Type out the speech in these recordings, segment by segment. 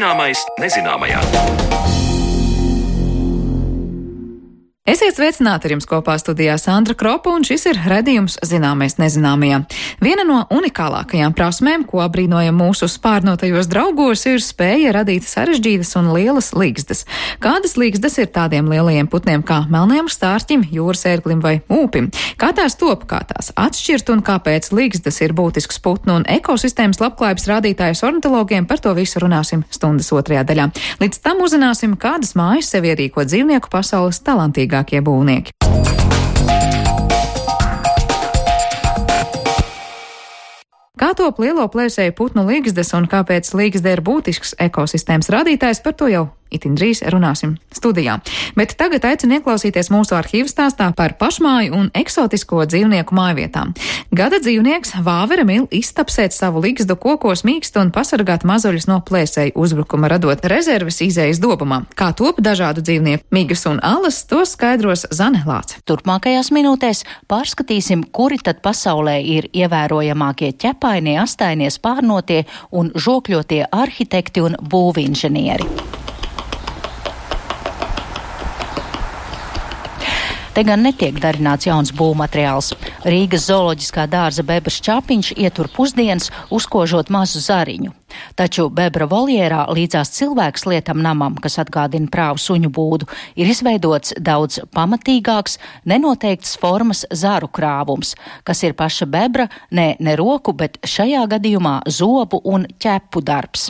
Zināmais nezināmajā. Esiet sveicināti, ar jums kopā studijā Sandra Kropa, un šis ir redzījums Zināmais nezināmajā. Viena no unikālākajām prasmēm, ko apbrīnojam mūsu spārnotajos draugos, ir spēja radīt sarežģītas un lielas līgzdas. Kādas līgzdas ir tādiem lielajiem putniem kā melnajam stārķim, jūras ērglim vai ūpim? Kā tās top, kā tās atšķirt un kāpēc līgzdas ir būtisks putnu un ekosistēmas labklājības rādītājs ornitologiem, par to visu runāsim stundas otrajā daļā. Līdz tam uzzināsim, kādas mājas sev ierīko dzīvnieku pasaules talantīgākie būvnieki. Kā top lielo plēsēju putnu līgzdas un kāpēc līgzda ir būtisks ekosistēmas rādītājs, par to jau itin drīz runāsim studijā. Bet tagad aicinu ieklausīties mūsu arhīvu stāstā par pašmāju un eksotisko dzīvnieku mājvietām. Gada dzīvnieks vāvera mīl iztapsēt savu līgzdu kokos mīkstu un pasargāt mazuļus no plēsēju uzbrukuma, radot rezerves izējas dobumā. Kā top dažādu dzīvnieku migas un alas, to skaidros Zane Lāce. Turpmākajās minūtēs pārskatīsim, kuri tad pasaulē ir ievērojamākie ķepainie, astainie, spārnotie un žokļotie arhitekti un būvinženieri. Te gan netiek darināts jauns būvmateriāls. Rīgas zooloģiskā dārza bebras čapiņš ietur pusdienas, uzkožot mazu zariņu. Taču bebra voljērā līdzās cilvēks lietam namam, kas atgādina prāvu suņu būdu, ir izveidots daudz pamatīgāks, nenoteikts formas zaru krāvums, kas ir paša bebra, ne roku, bet šajā gadījumā zobu un ķepu darbs.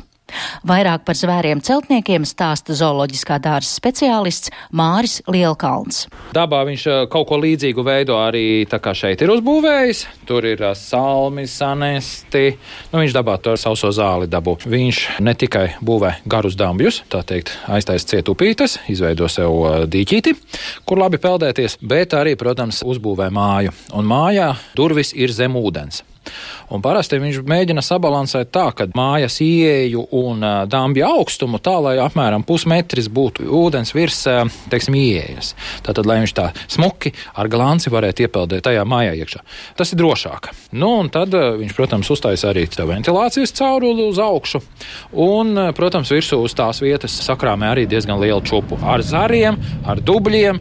Vairāk par zvēriem celtniekiem stāsta zooloģiskā dārza speciālists Māris Lielkalns. Dabā viņš kaut ko līdzīgu veido arī tā kā šeit ir uzbūvējis. Tur ir salmi, sanesti. Viņš dabā to sauso zāli dabū. Viņš ne tikai būvē garus dambjus, tā teikt, aiztais ciet upītes, izveido sev dīķīti, kur labi peldēties, bet arī, protams, uzbūvē māju. Un mājā durvis ir zem ūdens. Un parasti viņš mēģina sabalansēt tā, ka mājas ieeju un dambja augstumu tā, lai apmēram pusmetris būtu ūdens virs, teiksim, ieejas. Tātad, lai viņš tā smuki ar glanci varētu iepeldēt tajā mājā iekšā. Tas ir drošāk. Un tad viņš, protams, uztaisa arī ventilācijas cauruli uz augšu. Un, protams, virsū uz tās vietas sakrāmē arī diezgan lielu čupu ar zariem, ar dubļiem.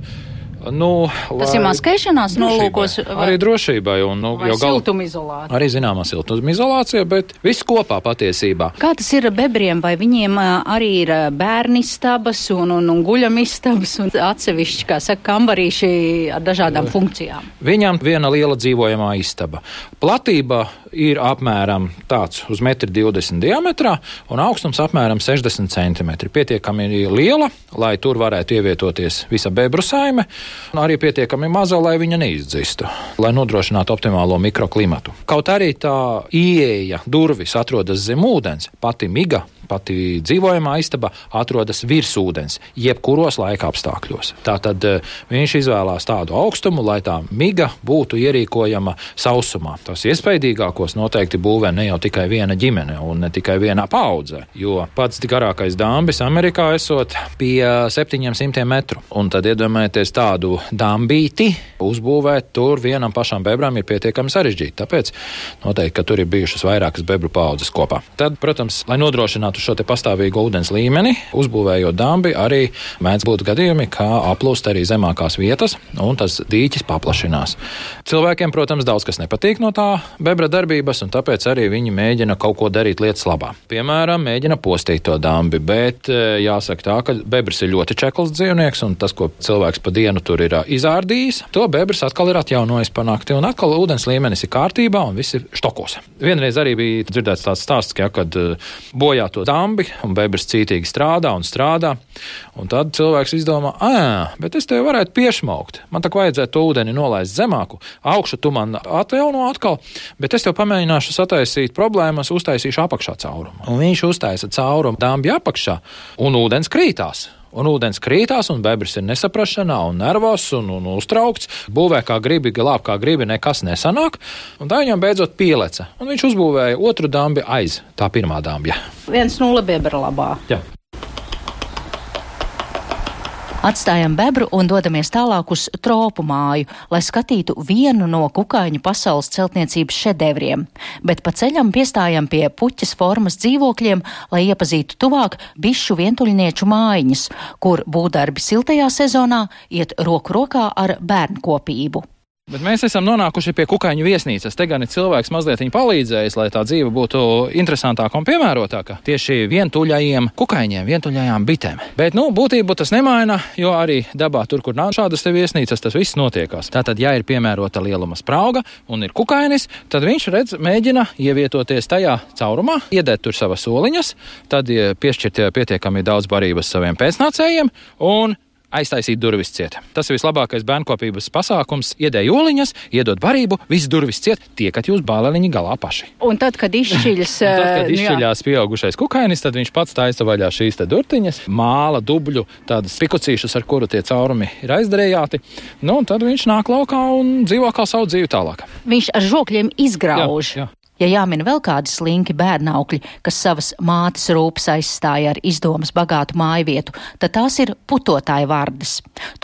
Tas ir maskēšanās nolūkos? Arī drošībai. Vai siltumizolācija? Arī zināmā siltumizolācija, bet viss kopā patiesībā. Kā tas ir bebriem? Vai viņiem arī ir bērnistabas un guļamistabas un atsevišķi, kā saka, kambarīši ar dažādām funkcijām? Viņam viena liela dzīvojamā istaba. Platība ir apmēram tāds uz 1,20 m diametrā un augstums apmēram 60 cm. Pietiekami liela, lai tur varētu ievietoties visa bebru saime, un arī pietiekami maza, lai viņa neizdzistu, lai nodrošinātu optimālo mikroklimatu. Kaut arī tā ieeja durvis atrodas zem ūdens, pati miga, pati dzīvojamā istaba atrodas virs ūdens, jebkuros laika apstākļos. Tātad viņš izvēlās tādu augstumu, lai tā miga būtu ierīkojama sausumā. Tas iespaidīgākos noteikti būvē ne jau tikai viena ģimene un ne tikai viena paudze, jo pats garākais dambis Amerikā esot pie 700 metru. Un tad iedomājieties tādu dambīti uzbūvēt tur vienam pašam bebram ir pietiekami sarežģīti. Tāpēc noteikti, ka tur ir bijušas vairākas bebru paudzes kopā. Tad, protams, lai nodrošinātu šo te pastāvīgo ūdens līmeni, uzbūvējot dambi, arī mēdz būt gadījumi, kā aplūst arī zemākās vietas, un tas dīķis paplašinās. Cilvēkiem, protams, daudz kas nepatīk no tā bebra darbības, un tāpēc arī viņi mēģina kaut ko darīt lietas labā. Piemēram, mēģina postīt to dambi, bet jāsaka tā, ka bebrs ir ļoti čekls dzīvnieks, un tas, ko cilvēks pa dienu tur ir izārdījis, to bebrs atkal ir atjaunojis pa nakti, un atkal ūdens līmenis ir kārtībā, un viss ir štokos. Vienreiz arī bija dzirdēts tāds stāsts, kad bojā to dambi, un bebrs cītīgi strādā, un tad cilvēks izdomā, bet es tev varētu piešmaukt. Man tak vajadzētu to ūdeni nolaist zemāku, augšu tu man atjauno atkal, bet es tev pamēģināšu sataisīt problēmas, uztaisīšu apakšā caurumu. Un viņš uztaisa caurumu dambi apakšā, un ūdens krītās. Un bebris ir nesaprašanā un nervos un uztraukts. Būvē kā gribi, glāb kā gribi, nekas nesanāk. Un tā viņam beidzot pieleca. Un viņš uzbūvēja otru dambi aiz tā pirmā dambja. 1-0 bebra labā. Jā. Atstājam bebru un dodamies tālāk uz tropu māju, lai skatītu vienu no kukaiņu pasaules celtniecības šedevriem, bet pa ceļam piestājam pie puķes formas dzīvokļiem, lai iepazītu tuvāk bišu vientuļnieču mājiņas, kur būvdarbi siltajā sezonā iet roku rokā ar bērnkopību. Bet mēs esam nonākuši pie kukaiņu viesnīcas. Te gan ir cilvēks mazliet viņa palīdzējis, lai tā dzīve būtu interesantāka un piemērotāka tieši vientuļajiem kukaiņiem, vientuļajām bitēm. Bet, būtību tas nemaina, jo arī dabā tur, kur nav šādas te viesnīcas, tas viss notiekās. Tātad, ja ir piemērota lieluma sprauga un ir kukainis, tad viņš mēģina ievietoties tajā caurumā, iedēt tur savas soliņas, tad piešķirt pietiekami daudz barības saviem pēcnācējiem un aiztaisīt durvis ciet. Tas ir vislabākais bērnkopības pasākums. Iedēj oliņas, iedod barību, viss durvis ciet, tiekat jūs bāleliņi galā paši. Un tad, kad izšķiļās pieaugušais kukainis, tad viņš pats taisa vaļā šīs te durtiņas, māla, dubļu, tādas pikucīšas, ar kuru tie caurumi ir aizdarējāti. Un tad viņš nāk laukā un dzīvo kā savu dzīvi tālāk. Viņš ar žokļiem izgrauž. Jā. Ja jāmin vēl kādi slinki bērnaukļi, kas savas mātes rūpes aizstāja ar izdomas bagātu mājvietu, tad tās ir putotāju vardes.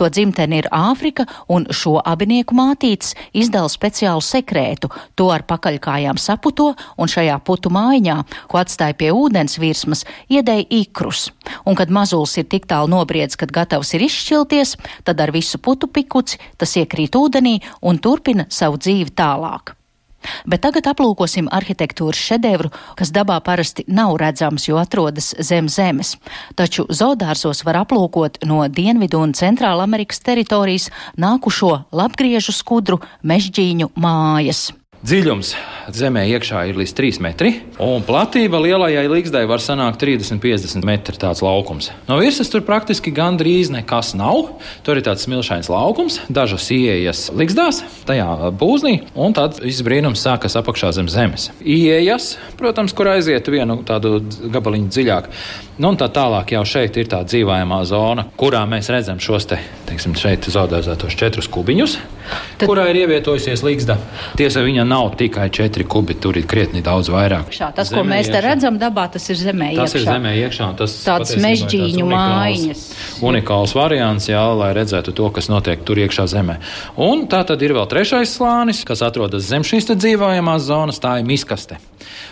To dzimteni ir Āfrika, un šo abinieku mātītes izdala speciālu sekrētu. To ar pakaļkājām saputo, un šajā putu mājiņā, ko atstāja pie ūdens virsmas, iedēja ikrus. Un kad mazulis ir tik tālu nobriedis, kad gatavs ir izšķilties, tad ar visu putu pikuci tas iekrīt ūdenī un turpina savu dzīvi tālāk. Bet tagad aplūkosim arhitektūras šedevru, kas dabā parasti nav redzams, jo atrodas zem zemes. Taču zoodārzos var aplūkot no Dienvidu un Centrāla Amerikas teritorijas nākušo labgriežu skudru mežģīņu mājas. Dziļums zemē iekšā ir līdz 3 metri, un platība lielajai līgzdai var sanākt 30-50 metri tāds laukums. No virsmas tur praktiski gandrīz nekas nav. Tur ir tāds smilšains laukums, dažas ieejas līgzdās, tajā būznī, un tad viss brīnums sākas apakšā zem zemes. Ieejas, protams, kur aiziet vienu tādu gabaliņu dziļāk. Un tā tālāk jau šeit ir tā dzīvājamā zona, kurā mēs redzam šos te, šeit zoodārzētos 4 kubiņus, kurā ir ievietojusies līgzda. Tiesa, viņa nav tikai 4 kubi, tur ir krietni daudz vairāk. Tas, ko mēs te redzam dabā, tas ir zemē iekšā. Tas ir zemē iekšā. Tāds mežģīņu mājiņas. Unikāls variants, jā, lai redzētu to, kas notiek tur iekšā zemē. Un tā tad ir vēl 3. slānis, kas atrodas zem šīs te dzīvojamās zonas, tā ir miskaste.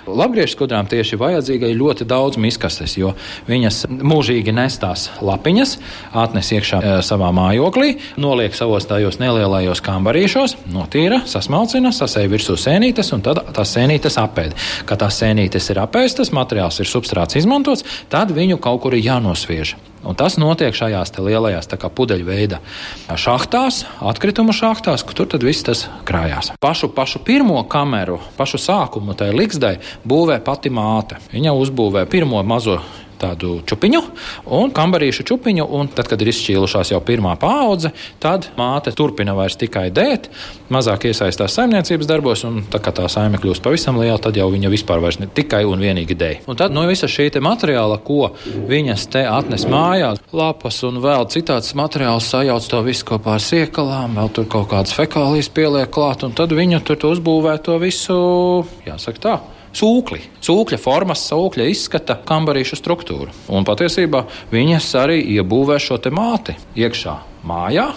Labgriežu skudrām tieši vajadzīga ir ļoti daudz miskastes, jo viņas mūžīgi nes tās lapiņas, atnes iekšā savā mājoklī, noliek savos tajos nelielajos kambarīšos, notīra, sasmalcina, sasēja virsū sēnītes un tad tās sēnītes apēd. Kad tās sēnītes ir apēstas, materiāls ir substrāts izmantots, tad viņu kaut kur ir jānosviež. Un tas notiek šajās te lielajās tā kā pudeļveida šahtās, atkritumu šahtās, tur tad viss tas krājās. Pašu pirmo kameru, pašu sākumu tai līgzdai būvē pati māte. Viņa uzbūvē pirmo mazo tādu čupiņu un kambarīšu čupiņu, un tad, kad ir izšķīlušās jau pirmā paudze, tad māte turpina vairs tikai dēt, mazāk iesaistās saimniecības darbos, un tā kā tā saime kļūst pavisam liela, tad jau viņa vispār vairs ne tikai un vienīgi dēj. Un tad no visa šī te materiāla, ko viņas te atnes mājās, lapas un vēl citāds materiāls sajauc to visu kopā ar siekalām, vēl tur kaut kādas fekālijas pieliek klāt, un tad viņa tur uzbūvē to visu, jāsaka tā, sūkļa formas, sūkļa izskata kambarīšu struktūru. Un patiesībā viņas arī iebūvē šo te māti iekšā mājā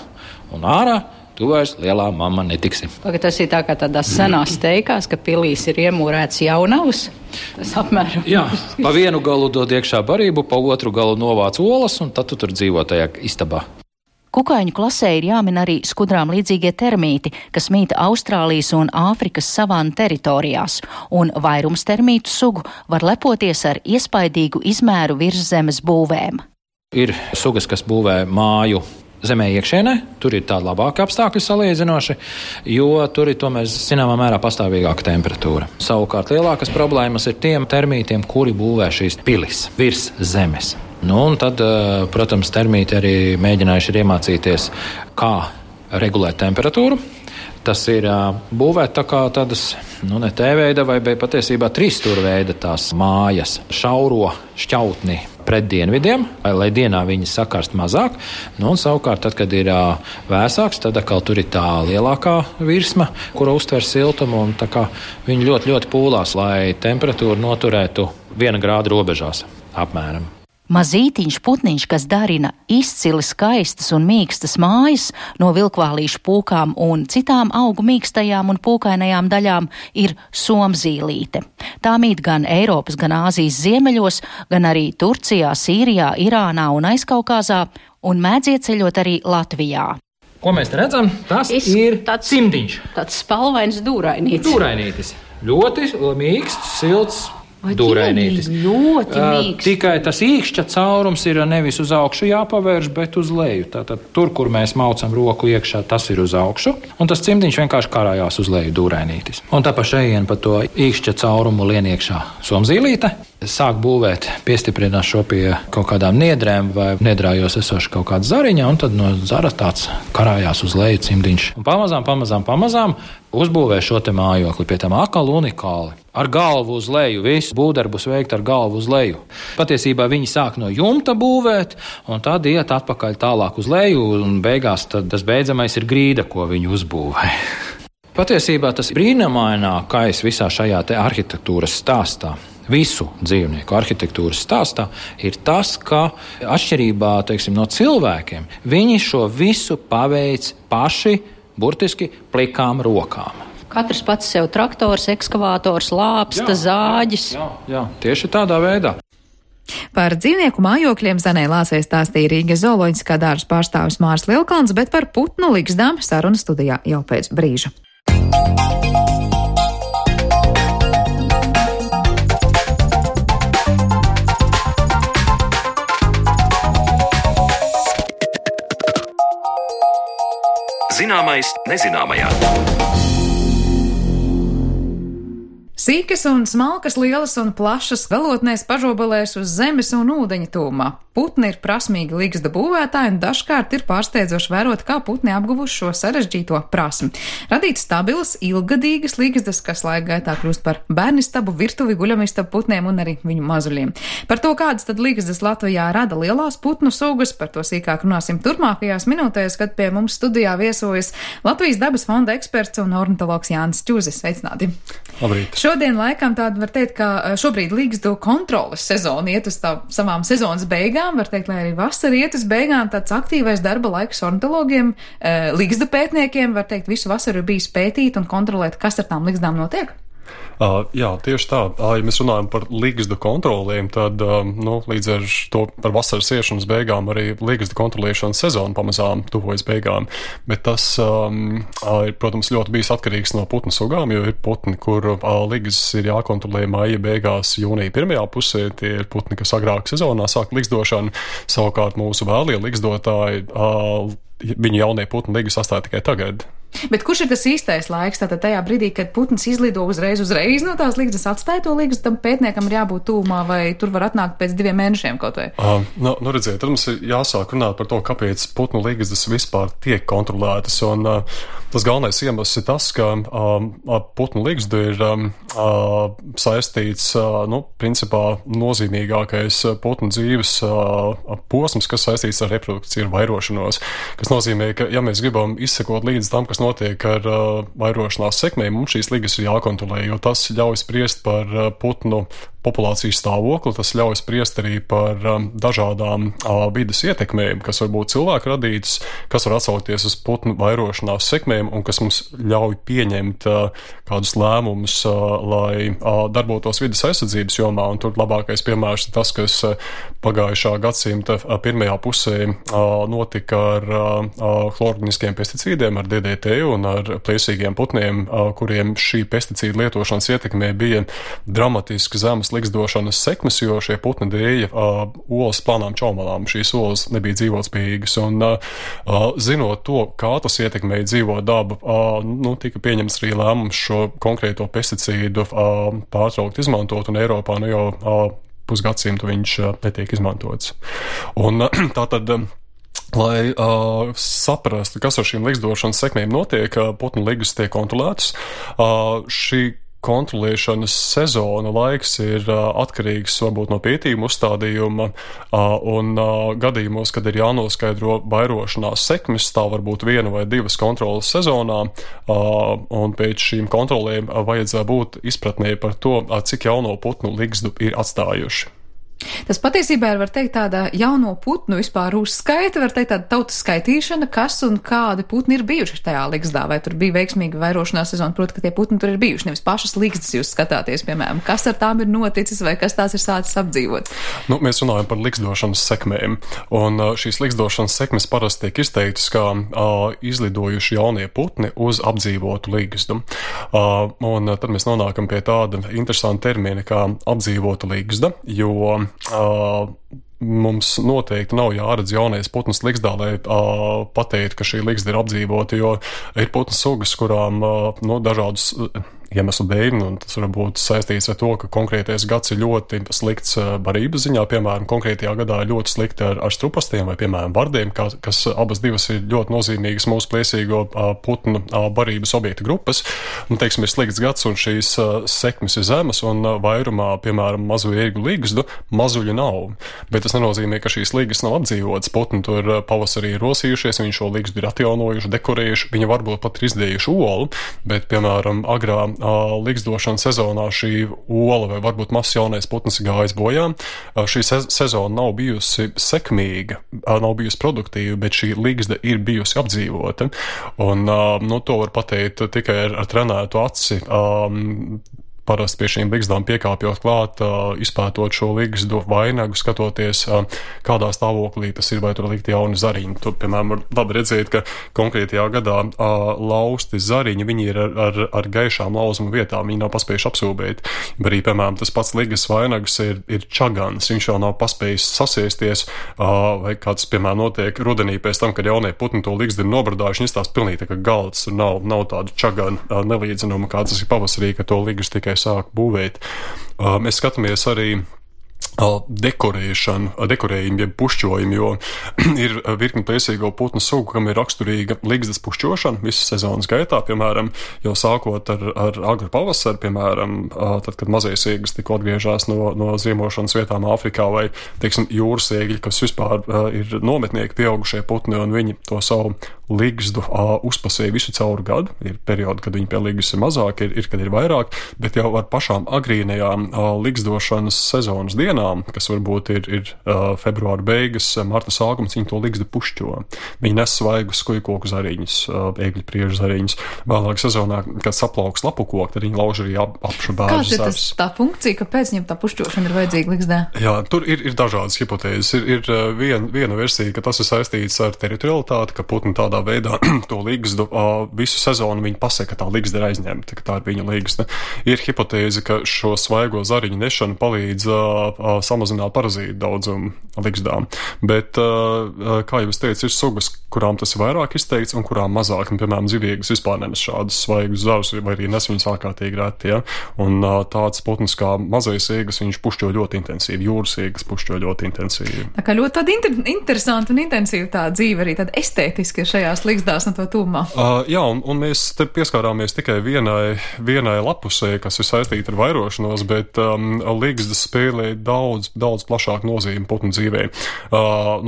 un ārā. Tu vairs lielā mamma netiksi. Tas ir tā kā tādās senās teikās, ka pilīs ir iemūrēts jaunavs. Tas apmēram. Jā, pa vienu galu dod iekšā barību, pa otru galu novāc olas, un tad tu tur dzīvo tajā istabā. Kukaiņu klasē ir jāmin arī skudrām līdzīgie termīti, kas mīta Austrālijas un Āfrikas savānu teritorijās, un vairums termītu sugu var lepoties ar iespaidīgu izmēru virszemes būvēm. Ir sugas, kas būvē māju zemē iekšienē, tur ir tāda labāka apstākļi salīdzinoši, jo tur ir tomēr zināmā mērā pastāvīgāka temperatūra. Savukārt lielākas problēmas ir tiem termītiem, kuri būvē šīs pilis virs zemes. Un tad, protams, termīti arī mēģinājuši ir iemācīties, kā regulēt temperatūru. Tas ir būvēt tā kā tādas, ne T-veida vai patiesībā 3-stūrveida tās mājas, šauro šķautni pret dienvidiem, lai dienā viņi sakarst mazāk. Un savukārt, tad, kad ir vēsāks, tad atkal tur ir tā lielākā virsma, kura uztver siltumu, un tā kā viņi ļoti, ļoti pūlās, lai temperatūru noturētu 1 grādu robežās apmēram. Mazītiņš putniņš, kas darina izcili skaistas un mīkstas mājas no vilkvālīšu pūkām un citām augu mīkstajām un pūkainajām daļām, ir somzīlīte. Tā mīt gan Eiropas, gan Āzijas ziemeļos, gan arī Turcijā, Sīrijā, Irānā un Aizkaukāzā, un mēdz ieceļot arī Latvijā. Ko mēs redzam? Tas ir cimdiņš. Tāds spalvains dūrainītis. Dūrainītis. Ļoti mīksts, silts. Dūrainītis. Ļoti mīksts. Tikai tas īkšķa caurums ir nevis uz augšu jāpavērš, bet uz leju. Tātad tur, kur mēs maucam roku iekšā, tas ir uz augšu, un tas cimdiņš vienkārši karājās uz leju dūrainītis. Un tā pa šejien pa to īkšķa caurumu lien iekšā somzīlīte. Sāk būvēt, piestiprināt šo pie kaut kādām niedrēm vai niedrājos esoši kaut kāda zariņa, un tad no zara tāds karājās uz leju cimdiņš. Un pamazām uzbūvē šo te mājokli, pie tam akali unikāli. Ar galvu uz leju, visu būvdarbus veikt ar galvu uz leju. Patiesībā viņi sāk no jumta būvēt, un tad iet atpakaļ tālāk uz leju, un beigās tad tas beidzamais ir grīda, ko viņi uzbūvē. Patiesībā tas brīnumainākais visā šajā te arhitektūras stāstā, visu dzīvnieku arhitektūras stāstā, ir tas, ka atšķirībā, teiksim, no cilvēkiem, viņi šo visu paveic paši, burtiski plikām rokām. Katrs pats sev traktors, ekskavātors, lāpsta, zāģis. Jā, tieši tādā veidā. Par dzīvnieku mājokļiem Zanei Lācei stāstīja Rīgas zooloģiskā dārza pārstāvis Māris Lielkalns, bet par putnu ligzdām saruna studijā jau pēc brīža. Zināmais nezināmajā. Sīkas un smalkas, lielas un plašas, galotnēs pažobelēs uz zemes un ūdeņa tūmā. Putni ir prasmīgi ligzda būvētāji, un dažkārt ir pārsteidzoši vērot, kā putni apguvuši šo sarežģīto prasmi. Radīt stabilas, ilggadīgas ligzdas, kas laika gaitā kļūst par bērnistabu, virtuvi, guļamistabu putniem un arī viņu mazuļiem. Par to, kādas tad ligzdas Latvijā rada lielās putnu sugas, par to sīkāk runāsim turpmākajās minūtēs, kad pie mums studijā viesojas Latvijas dabas fonda eksperts un ornitologs Jānis Čuzis. Sveicināti! Labrīt! Šodien laikam tāda var teikt, ka šobrīd ligzdu kontroles sezona iet uz savām sezonas beigām. Var teikt, lai arī vasara iet uz beigām, tāds aktīvais darba laiks ornitologiem, ligzdu pētniekiem, var teikt, visu vasaru ir bijis pētīt un kontrolēt, kas ar tām ligzdām notiek. Jā, tieši tā. Ja mēs runājam par ligzdu kontroliem, tad līdz ar to par vasaras iešanas beigām arī ligzdu kontrolēšanas sezona pamazām tuvojas beigām. Bet tas ir, protams, ļoti bijis atkarīgs no putnu sugām, jo ir putni, kur ligzdas ir jākontrolē maija beigās, jūnija pirmajā pusē. Tie ir putni, kas agrāk sezonā sāk ligzdošanu. Savukārt mūsu vēlie ligzdotāji, viņu jaunie putni ligzdas atstāja tikai tagad. Bet kurš ir tas īstais laiks? Tātad tajā brīdī, kad putns izlido uzreiz no tās ligzdas, atstāja to ligzdu, tam pētniekam ir jābūt tūmā, vai tur var atnākt pēc 2 mēnešiem kaut vai? Redziet, tad mums ir jāsāk runāt par to, kāpēc putnu ligzdas vispār tiek kontrolētas. Un tas galvenais iemesls ir tas, ka putnu ligzdu ir saistīts, principā nozīmīgākais putnu dzīves posms, kas saistīts ar reprodukciju, ar vairošanos. Kas nozīmē, ka ja mēs gribam izsekot līdz tam, kas notiek ar vairošanās sekmēm, mums šīs ligas ir jākontrolē, jo tas ļauj spriest par putnu populācijas stāvokli, tas ļauj spriest arī par dažādām vides ietekmēm, kas var būt cilvēku radītas, kas var atsaukties uz putnu vairošanās sekmēm un kas mums ļauj pieņemt kādus lēmumus, lai darbotos vides aizsardzības jomā. Un tur labākais piemērs ir tas, kas pagājušā gadsimta pirmajā pusē notika ar chlororganiskiem pesticīdiem, ar DDT un ar plēsīgiem putniem, kuriem šī pesticīdu lietošanas ietekmē bija dramatiski zemes ligzdošanas sekmes, jo šie putni dēja olas plānām čaumalām. Šīs olas nebija dzīvotspējīgas. Un zinot to, kā tas ietekmēja dzīvo dabu, tika pieņemts arī lēmums šo konkrēto pesticīdu pārtraukt izmantot, un Eiropā jau pusgadsimtu viņš netiek izmantots. Un tātad, lai saprastu, kas ar šīm ligzdošanas sekmēm notiek, putnu ligas tiek kontrolētas. Šī kontrolēšanas sezona laiks ir atkarīgs varbūt no pētījuma uzstādījuma un gadījumos, kad ir jānoskaidro vairošanās sekmes, tā var būt 1 vai 2 kontrolas sezonā, un pēc šīm kontrolēm vajadzēja būt izpratnē par to, cik jauno putnu ligzdu ir atstājuši. Tas patiesībā ir, var teikt, tāda jauno putnu vispār uzskaita, var teikt, tāda tautas skaitīšana, kas un kādi putni ir bijuši tajā ligzdā, vai tur bija veiksmīga vairošanās sezona, proti, ka tie putni tur ir bijuši, nevis pašas ligzdas jūs skatāties, piemēram, kas ar tām ir noticis vai kas tās ir sācis apdzīvot. Mēs runājam par ligzdošanas sekmēm, un šīs ligzdošanas sekmes parasti tiek izteiktas kā izlidojuši jaunie putni uz apdzīvotu ligzdu. Un tad mēs nonākam pie tāda interesanta termina kā apdzīvota ligzda, jo mums noteikti nav jāredz jaunais putns ligzdā, lai pateikt, ka šī ligzda ir apdzīvota, jo ir putnu sugas, kurām dažādus iemeslu dēļ, un tas var būt saistīts ar to, ka konkrētais gads ir ļoti slikts barības ziņā, piemēram, konkrētajā gadā ļoti slikti ar strupastiem vai, piemēram, vardiem, kas abas divas ir ļoti nozīmīgas mūsu plēsīgo putnu barības objektu grupas. Un, teiksim, ir slikts gads, un šīs sekmes ir zemes, un vairumā, piemēram, mazo ērgļu ligzdu mazuļu nav. Bet tas nenozīmē, ka šīs ligas nav apdzīvotas. Putni tur pavasarī ir rosījušies, viņi šo ligzdu ir atjaunojuši, dekorējuši, viņi varbūt pat ir izdējuši olu, bet, piemēram, agrā ligzdošanas sezonā šī ola vai varbūt mazs jaunais putns gājis bojā. Šī sezona nav bijusi sekmīga, nav bijusi produktīva, bet šī ligzda ir bijusi apdzīvota. Un to var pateikt tikai ar trenētu aci. Parasti pie šīm ligzdām piekāpjot klāt, izpētot šo ligzdu vainagu, skatoties, kādā stāvoklī tas ir, vai tur likt jauni zariņi. Tur, piemēram, var labi redzēt, ka konkrētajā gadā lausti zariņi, viņi ir ar gaišām lauzuma vietām, viņi nav paspējuši apsūbēt. Arī, piemēram, tas pats ligas vainags ir čagans, viņš vēl nav paspējis sasiesties, vai kāds, piemēram, notiek rudenī pēc tam, kad jaunie putni to ligzdu ir nobradājuši, viņš tās pilnīgi tā kā galds, tur nav tādu čaganu nelīdzinuma, kā tas ir pavasarī, ka to ligas tikai sāk būvēt. Mēs skatāmies arī dekorējumu, jeb pušķojumu, jo ir virkni plēsīgo putnu sugu, kam ir raksturīga ligzdas pušķošana visas sezonas gaitā, piemēram, jau sākot ar agru pavasaru, piemēram, tad, kad mazie siegas tikko atgriežās no ziemošanas vietām Āfrikā, vai, teiksim, jūras siegļi, kas vispār ir nometnieki pieaugušie putni, un viņi to savu ligzdu uzpasēja visu cauru gadu. Ir periodi, kad viņi pie ligzdas ir mazāk, ir kad ir vairāk, bet jau ar pašām agrīnajām ligzdošanas sezonas dienām, kas varbūt ir februāra beigas, marta sākums, viņi to ligzdu pušķo. Viņi nes svaigus skujkoku zariņus, ēgļu priežu zariņus. Vēlāk sezonā, kad saplauks lapu koki, tad viņi lauž arī apšu bērnu zars. Kāda ir tā funkcija, kāpēc viņam tā pušķošana ir vajadzīga ligzdē? Jā, tur ir dažādas hipotēzes. Ir viena versija, ka tas ir saistīts ar teritorialitāti, ka putni tādā veidā to ligzdu visu sezonu viņi pasaka, ka tā ligzda ir aizņemta, ka tā ir viņa ligzda. Ir hipotēze, ka šo svaigo zariņu nešana palīdz samazināt parazītu daudzumu ligzdām. Bet, kā jau es teicu, ir sugas, kurām tas ir vairāk izteikts un kurām mazāk. Un, piemēram, ziviegas vispār nenes šādus svaigus zarus, vai arī nes viņus ārkārtīgi reti. Ja? Un tāds putns kā mazais siegas, viņš pušķo ļoti intensīvi, jūras siegas pušķo ļoti intensīvi. Tā kā ļoti tāda interesanta un intensīva tā dzīve arī tāda estētiski šajās ligzdās un to tūmā. Jā, un mēs te pieskārāmies tikai vienai lapusē, kas ir saistīta ar vairošanos, bet ligzda spēlē daudz plašāku nozīmi putnu dzīvē.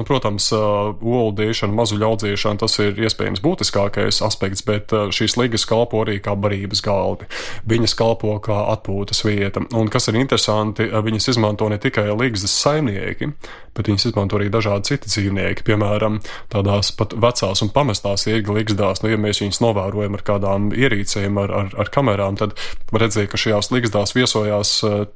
Protams, olu dēšana, mazuļu audzēšana, tas ir iespējams būtiskākais aspekts, bet šīs ligas kalpo arī kā barības galdi. Viņas kalpo kā atpūtas vieta. Un kas ir interesanti, viņas izmanto ne tikai ligzdas saimnieki, bet viņas izmanto arī dažādi citi dzīvnieki. Piemēram, tādās pat vecās un pamestās ērgļu ligzdās, ja mēs viņus novērojam ar kādām ierīcēm, ar kamerām, tad var redzēt, ka šajās ligzdās viesojās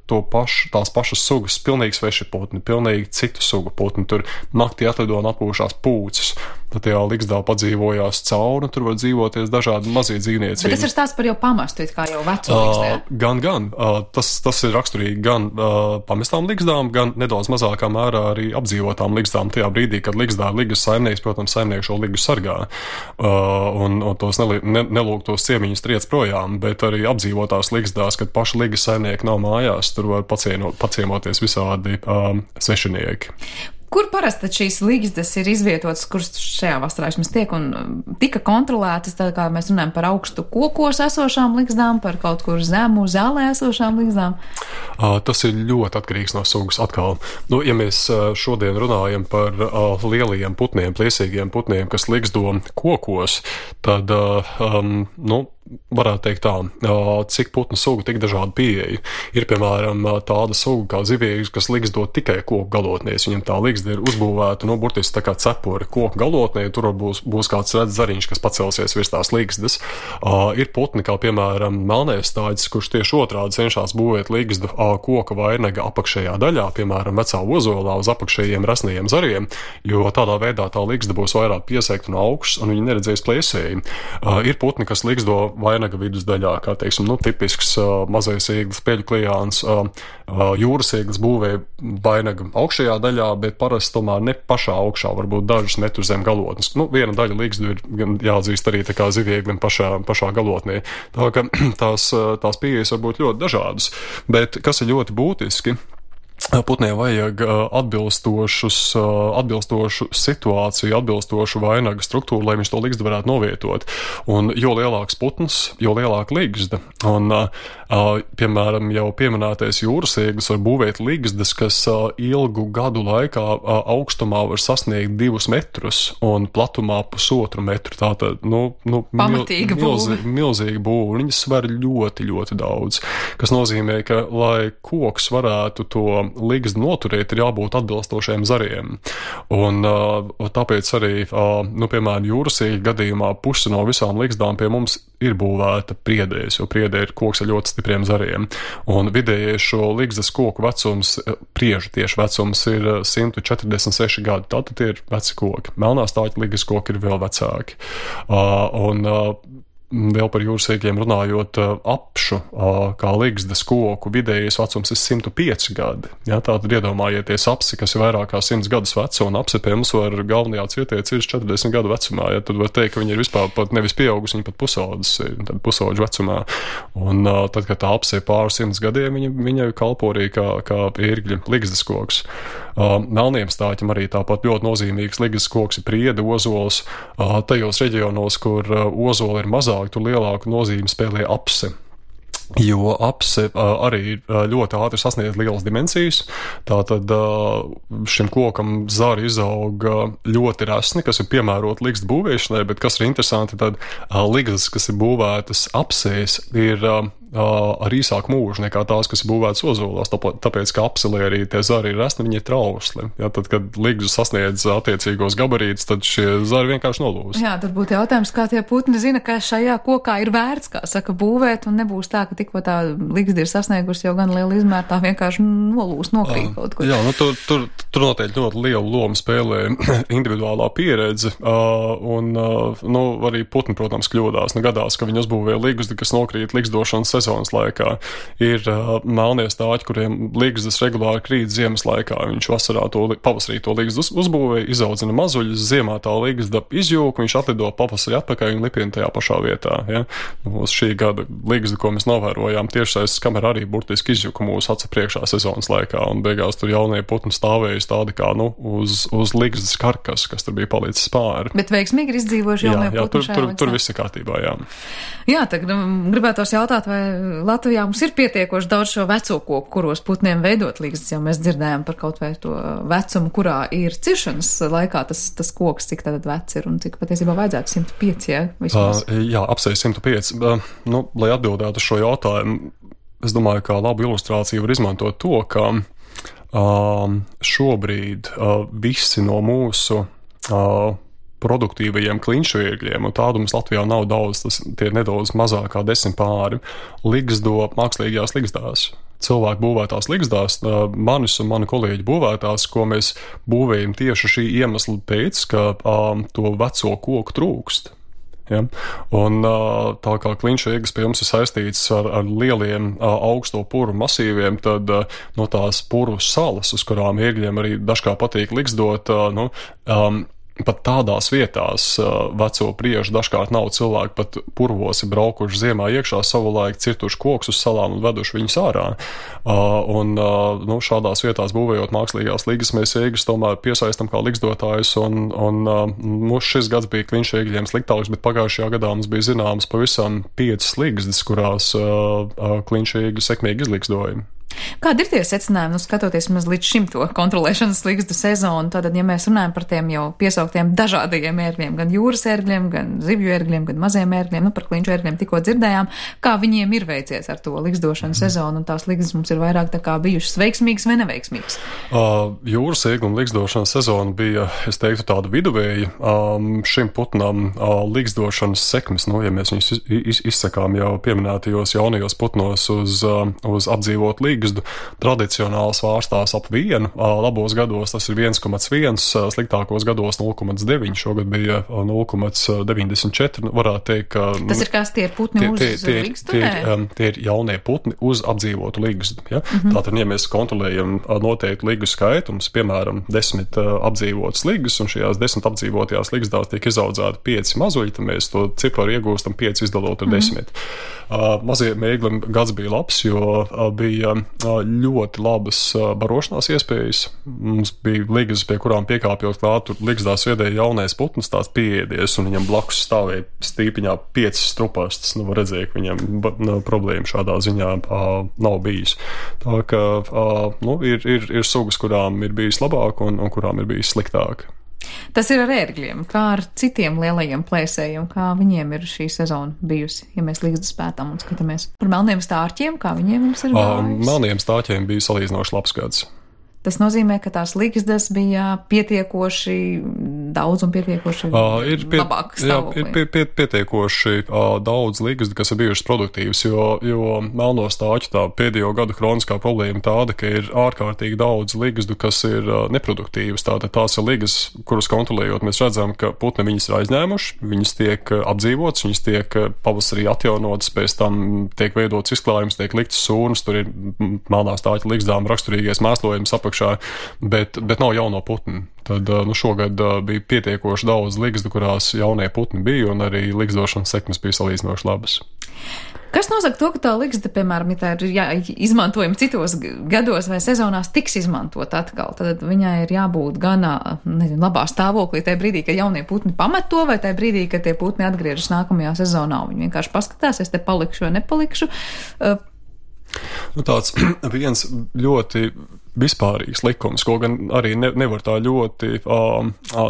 tās pašas sugas, pilnīgi sveši putni, pilnīgi citu sugu putni. Tur naktī atlido un atpūšās pūces. Tad tajā ligzdā padzīvojās cauri, tur var dzīvoties dažādi mazie dzīvnieci. Bet tas ir stāsts par jau pamestu, kā jau veco ligzdē. Gan. Tas ir raksturīgi gan pamestām ligzdām, gan nedaudz mazākā mērā arī apdzīvotām ligzdām. Tajā brīdī, kad ligzdā ir ligas saimnieks, protams, saimnieks šo ligu sargā un tos nelūk tos ciemiņus triec projām, bet arī apdzīvotās ligzdās, kad paši ligas saimnieki nav mājās, tur var paciemoties visādi svešinieki. Kur parasti šīs ligzdas ir izvietotas, kuras šajā vasarā vismaz tiek un tika kontrolētas, tā kā mēs runājam par augstu kokos esošām ligzdām, par kaut kur zemu zālē esošām ligzdām? Tas ir ļoti atkarīgs no sugas atkal. Ja mēs šodien runājam par lielajiem putniem, plēsīgiem putniem, kas ligzdo kokos, tad, varētu teikt tā, cik putnu sugu, tik dažādu pieeju. Ir, piemēram, tāda suga kā ziviegs, kas ligzdo tikai koku galotnēs. Viņam tā ligzda ir uzbūvēta, burtiski tā kā cepuri koku galotnē, tur būs kāds redz zariņš, kas pacelsies virs tās ligzdas. Ir putni, kā piemēram melnēstāģis, kurš tieši otrādi cenšas būvēt ligzdu koka vainaga apakšējā daļā, piemēram, vecā ozolā uz apakšējiem rasnajiem zariem, jo tādā veidā tā ligzda būs vairāk piesegta no augšas un viņi neredzēs plēsēji. Ir putni, kas ligzdo vainaga vidusdaļā, kā teiksim, tipisks mazais ieglis, peļu klijāns, jūras ieglis būvē vainaga augšējā daļā, bet parasti tomēr ne pašā augšā, varbūt dažus metrus zem galotnes. Viena daļa ligzdu ir jāatzīst arī tā kā zivieglim pašā galotnē. Tā ka tās pieejas var būt ļoti dažādas, bet kas ir ļoti būtiski, putniem vajag atbilstošu situāciju, atbilstošu vainaga struktūru, lai viņš to ligzdu varētu novietot. Un jo lielāks putns, jo lielāka ligzda. Un, piemēram, jau pieminētais jūras ieglis var būvēt ligzdas, kas ilgu gadu laikā augstumā var sasniegt 2 metrus un platumā 1,5 metru. Tātad, pamatīga būve. Milzīga būve. Viņas sver ļoti, ļoti daudz, kas nozīmē, ka, lai koks varētu to ligzdu noturēt, ir jābūt atbilstošiem zariem. Un tāpēc arī, piemēram, jūras iegļa gadījumā puse no visām ligzdām pie mums ir būvēta priedēs, jo priedē ir koks ar ļoti stipriem zariem. Un vidējais šo ligzdas koku vecums, priežu tieši vecums, ir 146 gadi. Tātad ir veci koki. Melnāstāģa ligzdas koki ir vēl vecāki. Vēl par jūras iegļiem runājot, apšu, kā ligzdas koku vidējais vecums ir 105 gadi. Ja, tātad iedomājieties apsi, kas ir vairāk kā 100 gadus veca, un apsi pie mums var galvenajā cietē cirst 40 gadu vecumā. Ja, tad var teikt, ka viņi ir vispār pat nevis pieaugusi, viņi pat pusauģu vecumā. Un tad, kad tā apsi ir pāri 100 gadiem, viņa kalpo arī kā ērgļa ligzdas koks. Melniem stāķim arī tāpat ļoti nozīmīgs ligzdas koks ir priede, ozols. Tajos reģionos, kur ozola ir mazāk, tur lielāku nozīmi spēlē apse. Jo apse arī ļoti ātri sasniedz lielas dimensijas. Tātad šim kokam zari izauga ļoti resni, kas ir piemēroti ligzdu būvēšanai, bet kas ir interesanti, tad ligzdas, kas ir būvētas apsēs, ir ar īsāku mūžu nekā tās, kas ir būvētas ozolās, tāpēc, ka apselē arī tie zari ir resni, viņi ir trausli. Ja, tad, kad ligzdu sasniedz attiecīgos gabarītus, tad šie zari vienkārši nolūst. Jā, tad būtu jautājums, kā tie putni zina, ka šajā kokā ir vērts, kā saka, būvēt, un nebūs tā, ka tikko tā ligzda ir sasniegusi jau gan lielu izmēru, tā vienkārši nolūst, nokrīt kaut ko. Jā, tur noteikti ļoti lielu lomu spēlē individuālā pieredze, un arī putni, protams, kļūdās. Gadās, ka viņi uzbūvē ligzdu, kas nokrīt ligzdošanas sezonas laikā. Ir melnie stāķi, kuriem ligzdas regulāri krīt ziemas laikā. Viņš pavasarī to ligzdu uzbūvē, izaudzina mazuļus, ziemā tā ligzda izjūk, viņš atlido pavasarī atpakaļ un lipina tajā pašā vietā. Ja? Uz šī gada ligzdu, ko mēs novērojām, tiešsaistes kamera arī burtiski izjuka mūsu acu priekšā sezonas laikā, un beigās tur jaunie putni stāvējas tādi kā uz ligzdas karkas, kas tur bija palicis pāri. Bet veiksmīgi ir izdzīvojuši jaunie putni šajā laikā. Tur viss ir kārtībā, jā. Jā, tagad gribētos jautāt, vai Latvijā mums ir pietiekoši daudz šo veco koku, kuros putniem veidot ligzdas, jo mēs dzirdējām par kaut vai to vecumu, kurā ir ciršanas laikā tas koks, cik tad vecs ir un cik patiesībā vajadzētu 105, jā, vismaz. Jā, apsēj 105. Lai atbildētu uz šo jautājumu, es domāju, ka labu ilustrāciju var izmantot to, ka šobrīd visi no mūsu produktīvajiem klinšu ērgļiem, un tādu mums Latvijā nav daudz, tie ir nedaudz mazāk kā 10 pāri, ligzdo mākslīgajās ligzdās. Cilvēku būvētās ligzdās, manis un mani kolēģi būvētās, ko mēs būvējam tieši šī iemesla pēc, ka to veco koku trūkst. Ja? Un tā kā klinšu ērglis pie mums ir saistīts ar lieliem augsto puru masīviem, tad no tās puru salas, uz kurām ērgļiem arī dažkārt patīk ligzdot, pat tādās vietās veco priežu dažkārt nav cilvēki, pat purvos ir braukuši ziemā iekšā savulaik, cirtuši kokus uz salām un veduši viņus ārā. Šādās vietās būvējot mākslīgās ligzdas, mēs ērgļus tomēr piesaistam kā ligzdotājus, un šis gads bija klinšu ērgļiem sliktāks, bet pagājušajā gadā mums bija zināmas pavisam 5 ligzdas, kurās klinšu ērgļi sekmīgi izligzdoja. Kādi ir tie secinājumi, skatoties līdz šim to kontrolēšanas ligzdu sezonu? Tātad, ja mēs runājam par tiem jau piesauktiem dažādajiem ērgļiem, gan jūras ērgļiem, gan zivju ērgļiem, gan maziem ērgļiem, par klinšu ērgļiem tikko dzirdējām, kā viņiem ir veicies ar to ligzdošanu sezonu, un tās ligzdas mums ir vairāk tā kā bijušas veiksmīgas vai neveiksmīgas? Jūras ērgļu un ligzdošanas sezona bija, es teiktu, tāda viduvēja. Šim putnam ligzdošanas sekmes, ja mēs viņus izsakām jau pieminētajos jaunajos putnos uz apdzīvot ligzdu, tradicionāli svārstās ap 1, labos gados tas ir 1,1, sliktākos gados 0,9, šogad bija 0,94, varētu teikt, ka... Tas ir kas, tie ir putni uz ligzdu? Tie ir jaunie putni uz apdzīvotu ligzdu, ja? Tātad, ja mēs kontrolējam noteikti ligu skaitu, mums, piemēram, 10 apdzīvotas ligas, un šajās 10 apdzīvotajās ligzdās tiek izaudzēti 5 mazuļi, tad mēs to ciparu iegūstam 5 izdalot ar 10. Mazajiem ērgļiem gads bija labs, jo bija ļoti labas barošanās iespējas. Mums bija ligas, pie kurām piekāpjot klāt, tur ligzdās viedēja jaunais putns, tās pieēdies, un viņam blakus stāvēja stīpiņā 5 strupastas. Var redzēt, ka viņam problēma šādā ziņā nav bijis. Tā ka ir sugas, kurām ir bijis labāk un kurām ir bijis sliktāk. Tas ir ar ērgļiem, kā ar citiem lielajiem plēsējiem, kā viņiem ir šī sezona bijusi, ja mēs ligzdas pētām un skatāmies par melniem stārķiem, kā viņiem mums ir gājis? Melniem stārķiem bija salīdzinoši labs gads. Tas nozīmē, ka tās ligzdas bija pietiekoši daudz un pietiekoši labāk stāvoklī. Ir pietiekoši daudz ligzdu, kas ir bijušas produktīvas, jo melno stārķu tā pēdējo gadu kroniskā problēma tāda, ka ir ārkārtīgi daudz ligzdu, kas ir neproduktīvas. Tātad tās ir ligas, kuras kontrolējot, mēs redzam, ka putni viņas ir aizņēmuši, viņas tiek apdzīvotas, viņas tiek pavasarī atjaunotas, pēc tam tiek veidots izklājums, tiek liktas sūnas, tur ir melnā stārķa ligzdām raksturīgais mēslojums bet nav jauno putnu. Tad šogad bija pietiekoši daudz ligzdu, kurās jaunie putni bija, un arī ligzdošanas sekmes bija salīdzinoši labas. Kas nosaka to, ka tā ligzda, piemēram, ja tā ir izmantojama citos gados vai sezonās, tiks izmantot atkal? Tad viņai ir jābūt gan labā stāvoklī tajā brīdī, kad jaunie putni pamet to, vai tajā brīdī, kad tie putni atgriežas nākamajā sezonā. Viņi vienkārši paskatās, es te palikšu vai nepalikšu. Tāds viens ļoti vispārīgs likums, ko gan arī nevar tā ļoti,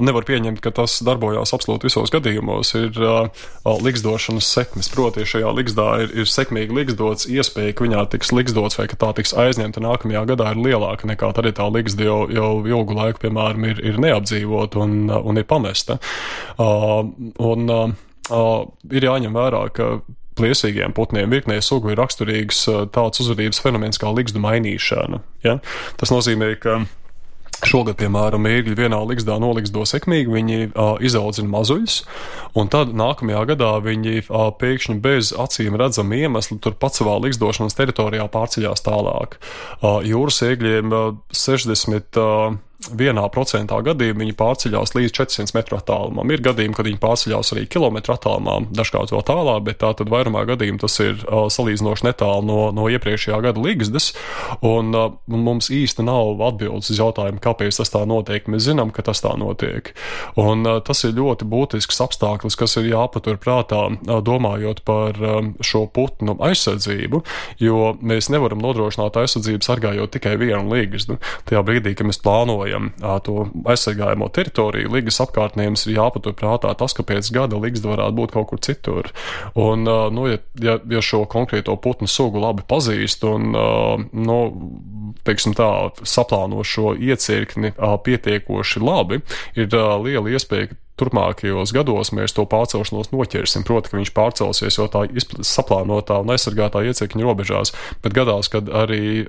nevar pieņemt, ka tas darbojās absolūti visos gadījumos, ir ligzdošanas sekmes. Proti, šajā ligzdā ir sekmīgi ligzdots, iespēja, ka viņā tiks ligzdots vai ka tā tiks aizņemta nākamajā gadā ir lielāka nekā tad, ja tā ligzda jau ilgu laiku, piemēram, ir neapdzīvot un ir pamesta. Ir jāņem vērā, ka plēsīgiem putniem virknē sugu ir raksturīgs tāds uzvedības fenomens kā ligzdu mainīšana. Ja? Tas nozīmē, ka šogad, piemēram, ērgļi vienā ligzdā noligzdo sekmīgi, viņi izaudzina mazuļus, un tad nākamajā gadā viņi pēkšņi bez acīm redzama iemesla turpat savā ligzdošanas teritorijā pārceļās tālāk. Jūras ērgļiem 61% gadījumā viņi pārceļās līdz 400 metru attālumam. Ir gadījumi, kad viņi pārceļās arī kilometru attālumā, dažkārt vēl tālāk, bet tātad vairumā gadījumā tas ir salīdzinoši netālu no iepriekšējā gada ligzdas, un mums īsti nav atbildes uz jautājumu, kāpēc tas tā notiek. Mēs zinām, ka tas tā notiek. Un tas ir ļoti būtisks apstākļus, kas ir jāpatur prātā, domājot par šo putnu aizsardzību, jo mēs nevaram nodrošināt aizsardzību sargājot tikai vienu ligzdu. Tajā brīdī, kad mēs plānojam to aizsargājamo teritoriju, ligas apkārtnēms ir jāpatur prātā tas, ka pēc gada ligzda varētu būt kaut kur citur. Un, ja šo konkrēto putnu sugu labi pazīst un, teiksim tā, saplāno šo iecirkni pietiekoši labi, ir liela iespēja, ka turpmākajos gados mēs to pārcelšanos noķersim. Proti, ka viņš pārcelsies jau tā saplānotā un aizsargātā iecirkņa robežās, bet gadās, kad arī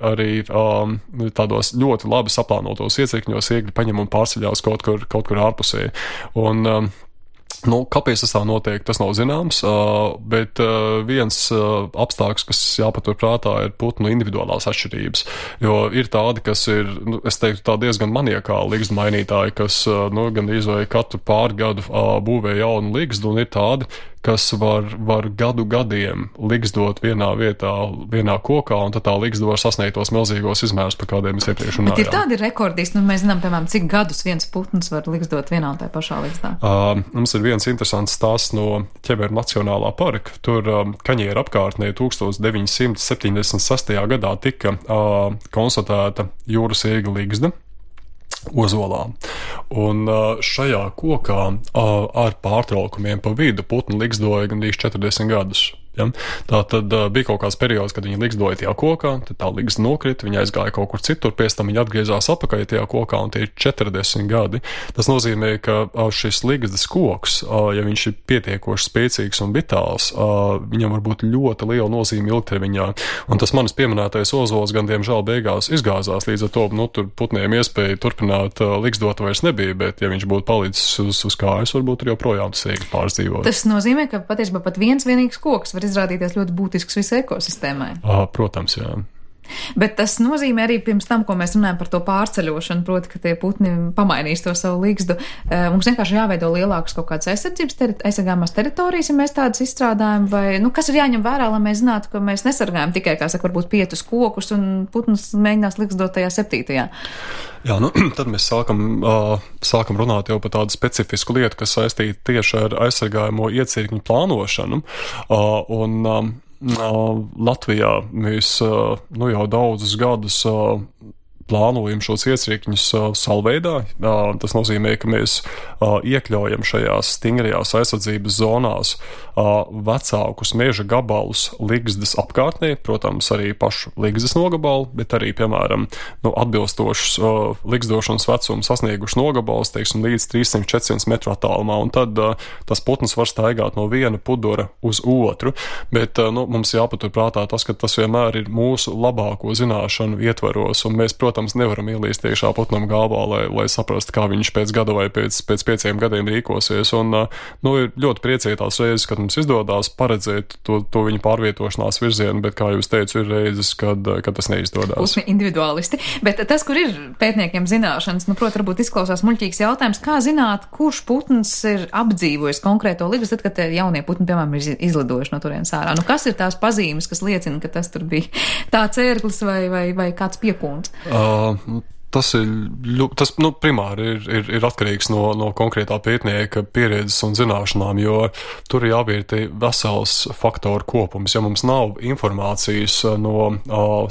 tādos ļoti labi saplānotos iecirkņos ērgļi paņem un pārceļās kaut kur ārpusē. Un, kāpēc tas tā notiek, tas nav zināms, bet viens apstākļus, kas jāpatur prātā, ir putnu individuālās atšķirības, jo ir tādi, kas ir, es teiktu, tā diezgan maniakāli ligzdu mainītāji, kas gan izvēja katru pārgadu būvē jaunu ligzdu, un ir tādi, kas var gadiem ligzdot vienā vietā, vienā kokā, un tad tā ligzda var sasniegt tos milzīgos izmērus, par kādiem mēs iepriekš runājām. Bet ir tādi rekordisti, nu mēs zinām, piemēram, cik gadus viens putns var ligzdot vienā un tā pašā ligzdā? Mums ir viens interesants stāsts no Ķeberu Nacionālā parka. Tur Kaņieru apkārtnē 1976. gadā tika konstatēta jūras ēga ligzda Ozolā. Un šajā kokā ar pārtraukumiem pa vidu putni ligzdoja gandrīz 40 gadus. Ja? Tā tad bija kaut kāds periods, kad viņi ligzdoja tajā kokā, tad tā ligzda nokrita, viņa aizgāja kaut kur citur, pēc tam viņa atgriezās atpakaļ tajā kokā, un tie ir 40 gadi. Tas nozīmē, ka šis ligzdas koks, ja viņš ir pietiekoši spēcīgs un vitāls, viņam var būt ļoti liela nozīme ilgtermiņā. Un tas manis pieminētais ozols gan diemžēl beigās izgāzās, līdz ar to, tur putniem iespēja turpināt ligzdot vairs nebija, bet ja viņš būtu palicis uz kājas, varbūt arī joprojām tas ēgi pārdzīvot. Tas nozīmē, ka patiesībā pat viens vienīgs koks var izrādīties ļoti būtisks visai ekosistēmai. Protams, jā. Bet tas nozīmē arī pirms tam, ko mēs runājam par to pārceļošanu, proti, ka tie putni pamainīs to savu ligzdu. Mums vienkārši jāveido lielākas kaut kādas aizsargāmās teritorijas, ja mēs tādas izstrādājam, vai, kas ir jāņem vērā, lai mēs zinātu, ka mēs nesargājam tikai, kā saka, varbūt 5 kokus un putns mēģinās ligzdot tajā 7. Jā, tad mēs sākam runāt jau par tādu specifisku lietu, kas saistīta tieši ar aizsargājamo iecirkņu plānošanu. Latvijā mēs jau daudzus gadus plānojam šos iecirkņus salveidā. Tas nozīmē, ka mēs iekļaujam šajās stingrajās aizsardzības zonās vecākus meža gabalus ligzdas apkārtnē, protams, arī pašu ligzdas nogabalu, bet arī, piemēram, atbilstošus ligzdošanas vecumu sasnieguši nogabalus, teiksim, līdz 300-400 metru attālumā, un tad tas putns var staigāt no viena pudura uz otru, bet mums jāpaturprātā tas, ka tas vienmēr ir mūsu labāko zināšanu ietvaros, un mēs, protams, nevaram ielīst iekšā putnam galvā, lai saprastu, kā viņš pēc gada vai pēc 5 gadiem rīkosies. Un ir ļoti priecīgi tās reizes, kad mums izdodās paredzēt to viņu pārvietošanās virzienu, bet, kā jūs teicu, ir reizes, kad tas neizdodas. Putni individualisti. Bet tas, kur ir pētniekiem zināšanas, protams, varbūt izklausās muļķīgs jautājums, kā zināt, kurš putns ir apdzīvojis konkrēto ligzdu, tad, kad jaunie putni, piemēram, ir izlidojuši no turienes ārā. Kas ir tās pazīmes, kas liecina, ka tas tur bija tāds ērglis vai kāds piekūns? Tas primāri ir atkarīgs no konkrētā pētnieka pieredzes un zināšanām, jo tur ir jāvērtē vesels faktoru kopums. Ja mums nav informācijas no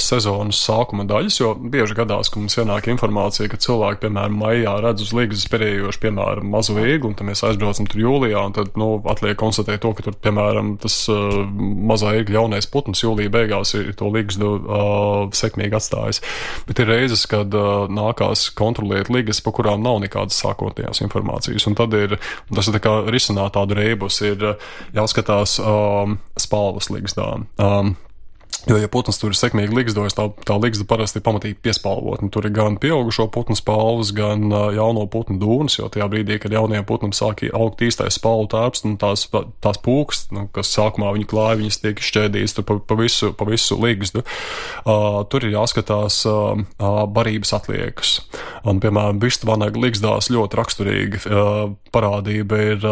sezonas sākuma daļas, jo bieži gadās, ka mums ienāk informācija, ka cilvēki, piemēram, maijā redz uz ligzdas perējoši, piemēram, mazu ēgli, un tad mēs aizbraucam tur jūlijā, un tad, atliek konstatēt to, ka tur, piemēram, tas mazā ēgļa jaunais putns jūlijā beigās ir to ligzdu sekmīgi atstājis. Bet ir reizes, kad nākās kontrolēt ligas, pa kurām nav nekādas sākotnējās informācijas. Un tad tas ir tā kā risināt tādu rēbus, ir jāskatās spalvas ligzdām. Jo, ja putns tur ir sekmīgi ligzdojas, tā ligzda parasti ir pamatīgi piespalvot. Tur ir gan pieaugušo putnu spalvas, gan jauno putnu dūnas, jo tajā brīdī, kad jaunajiem putnam sāk augt īstais spalvu tērps, un tās pūks, kas sākumā viņi klāja, viņas tiek šķēdītas pa visu ligzdu. Tur ir jāskatās barības atliekas. Un, piemēram, vištvanaga ligzdās ļoti raksturīga parādība ir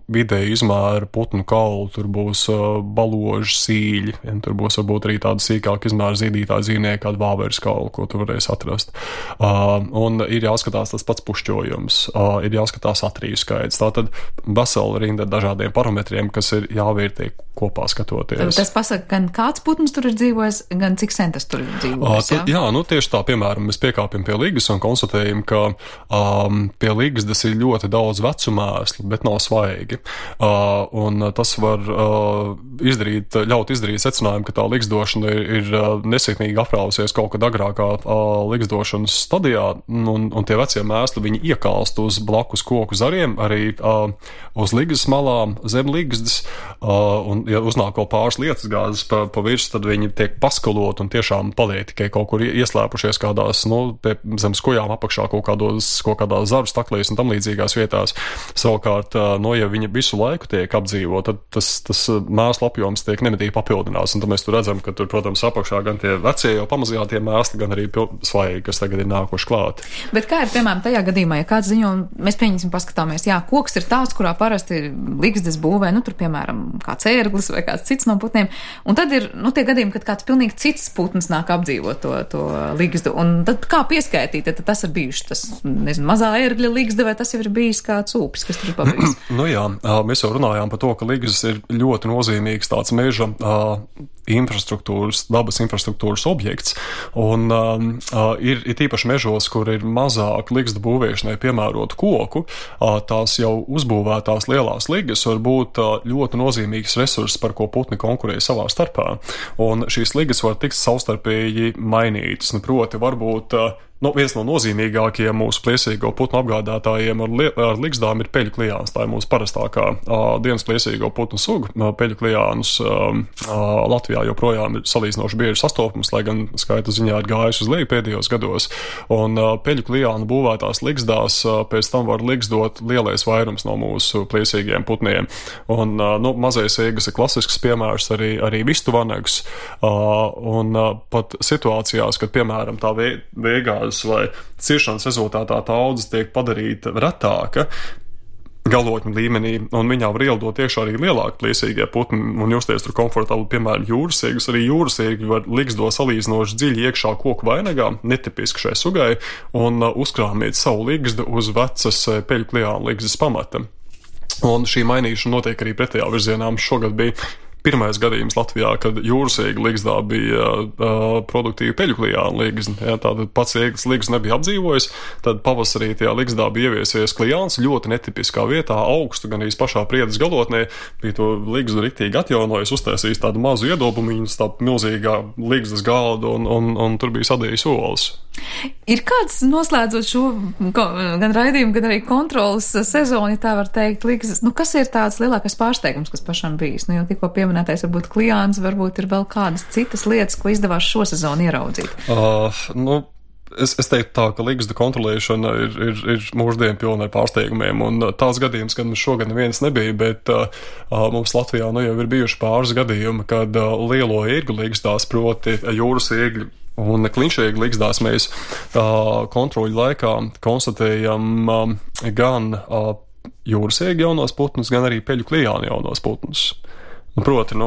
vidēji izmēra putnu kaulu, tur būs baloži, sīļi, tur būs varbūt arī tāda sīkāka izmēra zīdītāja dzīvnieka, kāda vāveres kaula, ko tu varēsi atrast. Un ir jāskatās tas pats pušķojums, ir jāskatās atriju skaits. Tātad vesela rinda dažādiem parametriem, kas ir jāvērtē kopā skatoties. Tas pasaka, gan kāds putns tur ir dzīvojis, gan cik sen tas tur ir dzīvojis, jā? Tieši tā, piemēram, mēs piekāpjam pie ligas un konstatējam, ka pie ligzdas ir ļoti daudz vecu mēslu, bet nav svaigi. Un tas var ļaut izdarīt secinājumu, ka tā ligzdošana ir nesekmīgi aprausies kaut kad agrākā ligzdošanas stadijā, un tie vecie mēsli, viņi iekalst uz blakus koku zariem, arī uz ligas malām, zem ligzdas, un ja uznāk vēl pāris lietas gāzes pa virsmu, tad viņi tiek paskalot un tiešām paliek tikai kaut kur ieslēpušies kādās, zem skujām apakšā kaut kādās zaru staklīs un tam līdzīgās vietās. Savukārt, ja viņa visu laiku tiek apdzīvot, tad tas mēslu apjoms tiek nemitīgi papildinās, un tad mēs tur redzam, ka tur, protams, apakšā gan tie vecie jau pamazījātie mēsli, gan arī svaigi, kas tagad ir nākuši klāt. Bet kā ir, piemēram, tajā gadījumā, ja kāds ziņo, mēs pieņemsim paskatāmies, koks ir tāds, kurā parasti ligzdas būvē, tur, piemēram, kāds ērglis vai kāds cits no putniem, un tad ir, tie gadījumi, kad kāds pilnīgi cits putns nāk apdzīvot to ligzdu, un tad kā pieskaitīt, tad tas ir bijuši tas, mazā ērgļa ligzda, vai tas jau ir bijis kāds ūpis, kas tur ir pabijis? Jā, mēs jau runājām par to, ka ligzdas ir ļoti nozīmīgs tāds meža dabas infrastruktūras objekts, un ir tīpaši mežos, kur ir mazāk ligzdu būvēšanai piemērotu koku, tās jau uzbūvētās lielās ligas var būt ļoti nozīmīgs resurss, par ko putni konkurē savā starpā, un šīs ligas var tikt savstarpēji mainītas, proti varbūt viens no nozīmīgākajiem mūsu plēsīgo putnu apgādātājiem ar ligzdām ir peļu klijāns. Tā ir mūsu parastākā dienas plēsīgo putnu suga. Peļu klijānus Latvijā joprojām ir salīdzinoši bieži sastopams, lai gan skaita ziņā ir gājis uz leju pēdējos gados. Un peļu klijānu būvētās ligzdās pēc tam var ligzdot lielais vairums no mūsu plēsīgiem putniem. Un mazais ēgas ir klasisks piemērs, arī vistu vanags. Un pat situācijās, kad, piemēram, tā vēgās vai ciršanas rezultātā tā audzes tiek padarīta retāka galotņu līmenī, un viņā var ielidot iekšā arī lielāki plēsīgie putni un justies tur komfortabli, piemēram, jūrasēgas. Arī jūrasēgi var ligzdo salīdzinoši dziļi iekšā koku vainagā, netipiski šai sugai, un uzkrāmīt savu ligzdu uz vecas peļu klijānu ligzdas pamata. Un šī mainīšana notiek arī pretējā virzienā. Šogad bija pirmais gadījums Latvijā, kad jūrasēga ligzdā bija produktīva peļu klijāna ligzda. Ja, tātad pats ēglis ligzda nebija apdzīvojis, tad pavasarī tajā ligzdā bija ieviesies klijāns ļoti netipiskā vietā, augstu, gan arī pašā priedes galotnē, bija to ligzdu riktīgi atjaunojis, uztaisījis tādu mazu iedobumiņu, tādu milzīgā ligzdas galdu, un tur bija sadējis olas. Ir kāds, noslēdzot šo gan raidījumu, gan arī kontrolas sezonu, ja tā var teikt, ligzdas, kas ir tāds lielākais pārsteigums, kas pašam bijis? Jau tikko pieminētais varbūt klijāns, varbūt ir vēl kādas citas lietas, ko izdevās šo sezonu ieraudzīt? Es teiktu tā, ka ligzdu kontrolēšana ir mūždien pilna ar pārsteigumiem, un tās gadījums, kad mums šogad neviens nebija, bet mums Latvijā jau ir bijuši pāris gadījumi, kad lielo ērgļu ligzdās, proti jūras ērgļu un klinšēgu ligzdās mēs kontroļu laikā konstatējam gan jūras ērgļu jaunos putnus, gan arī peļu klijānu jaunos putnus. Proti,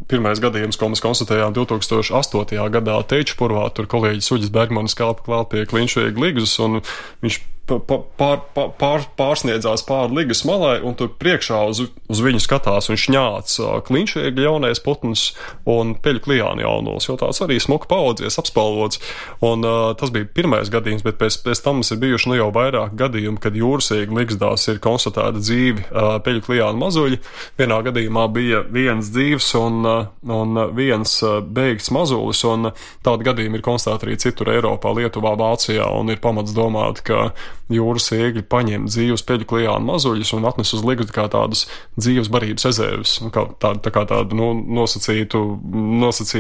pirmais gadījums, ko mēs konstatējām 2008. gadā Teičpurvā, tur kolēģis Uģis Bergmanis kāpa klāt pie klinšēgu ligzdas, un viņš pārsniedzās pāri ligas malai, un tur priekšā uz viņu skatās un šņāc klinšēgu jaunais putns un peļu klijānu jaunos, jo tāds arī smuki paaudzies, apspalvots. Un tas bija pirmais gadījums, bet pēc tam mums ir bijuši jau vairāk gadījumi, kad jūrasēgu ligzdās ir konstatēta dzīvi peļu klijānu mazuļi. Vienā gadījumā bija viens dzīvs un viens beigts mazulis, un tādi gadījumi ir konstatēti arī citur Eiropā, Lietuvā, Vācijā, un ir pamats domāt, ka jūras ēgļi paņem dzīvus peļu klijānu mazuļus un atnes uz ligzdu kā tādus dzīves barības rezerves, kā tādu nosacītu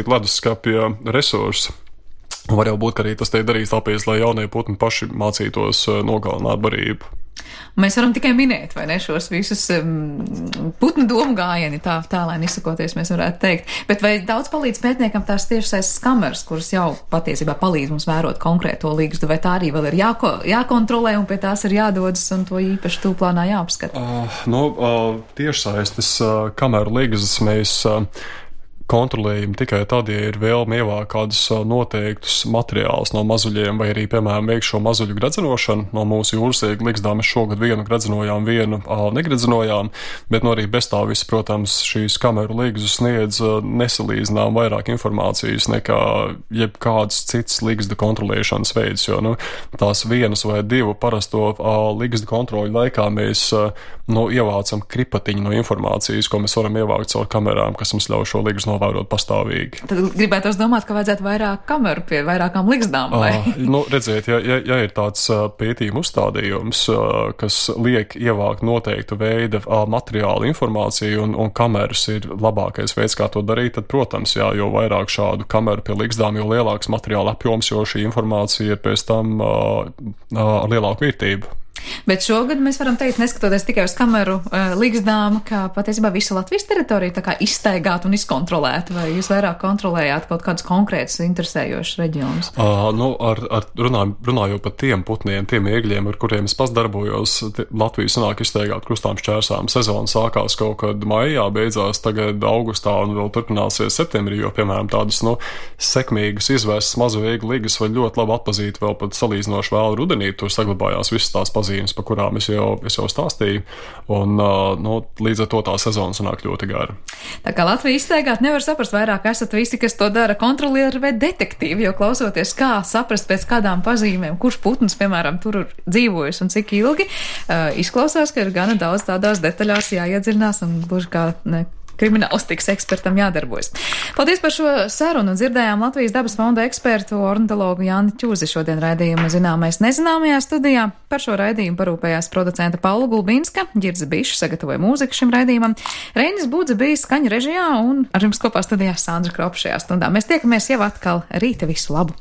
leduskapja resursu. Un var jau būt, ka arī tas tiek darīts tāpēc, lai jaunie putni paši mācītos nogalināt barību. Mēs varam tikai minēt, vai ne, šos visus putnu domu gājieni, tālēni izsakoties, mēs varētu teikt. Bet vai daudz palīdz pētniekam tās tiešsaistes kameras, kuras jau patiesībā palīdz mums vērot konkrēto ligzdu, vai tā arī vēl ir jākontrolē un pie tās ir jādodas un to īpaši tūplānā jāapskata? Tiešsaistes kameru ligzdas mēs kontrolējam tikai tad, ja ir vēlme ievākt kādus noteiktus materiālus no mazuļiem, vai arī, piemēram, veikt šo mazuļu gredzenošanu. No mūsu jūrasēgu ligzdām mēs šogad vienu gredzenojām, vienu negredzenojām, bet arī bez tā viss, protams, šīs kameru ligzdas sniedz nesalīdzinām vairāk informācijas nekā jebkāds cits ligzdu kontrolēšanas veids, jo tās vienas vai divu parasto ligzdu kontroļu laikā mēs ievācam kripatiņu no informācijas, ko mēs varam ievākt caur kamerām, kas mums ļauj šo ligzdu novērot pastāvīgi. Tad gribētos domāt, ka vajadzētu vairāk kameru pie vairākām ligzdām, vai? Redziet, ja ir tāds pētījuma uzstādījums, kas liek ievākt noteiktu veida materiālu informāciju un kameras ir labākais veids, kā to darīt, tad, protams, jo vairāk šādu kameru pie ligzdām, jo lielāks materiāla apjoms, jo šī informācija ir pēc tam ar lielāku vērtību. Bet šogad mēs varam teikt, neskatoties tikai uz kameru līgzdām, ka patiesībā visu Latvijas teritoriju tā kā izstaigāt un izkontrolēt, vai jūs vairāk kontrolējāt kaut kādus konkrētus interesējošus reģionus? Runājot par tiem putniem, tiem ēgļiem, ar kuriem es pats darbojos, Latviju sanāk izstaigāt krustām šķērsām. Sezona sākās kaut kad maijā, beidzās tagad augustā un vēl turpināsies septembrī, jo, piemēram, tādas, sekmīgas izvērstas mazu ēgļu ligas var ļoti labi atpazīt vēl pat salīdzinoši vēl rudenī. Tur saglabājās visas tās pazīmes, par kurām es jau stāstīju, un līdz ar to tā sezona sanāk ļoti gara. Tā kā Latvija izstaigāt nevar saprast, vairāk esat visi, kas to dara, kontrolieri vai detektīvi, jo klausoties, kā saprast pēc kādām pazīmēm, kurš putns, piemēram, tur ir dzīvojis un cik ilgi, izklausās, ka ir gana daudz tādās detaļās jāiedziļinās un gluži kā kriminālistikas ekspertam jādarbojas. Paldies par šo sarunu. Dzirdējām Latvijas dabas fonda ekspertu ornitologu Jāni Ķūzi šodien raidījuma Zināmais nezināmajā studijā. Par šo raidījumu parūpējās producenta Paula Gulbinska, Ģirds Bišs sagatavoja mūziku šim raidījumam, Reinis Budze bija skaņu režijā un ar jums kopā studijā Sandra Kropa šajā stundā. Mēs tiekamies jau atkal rīta, visu labu!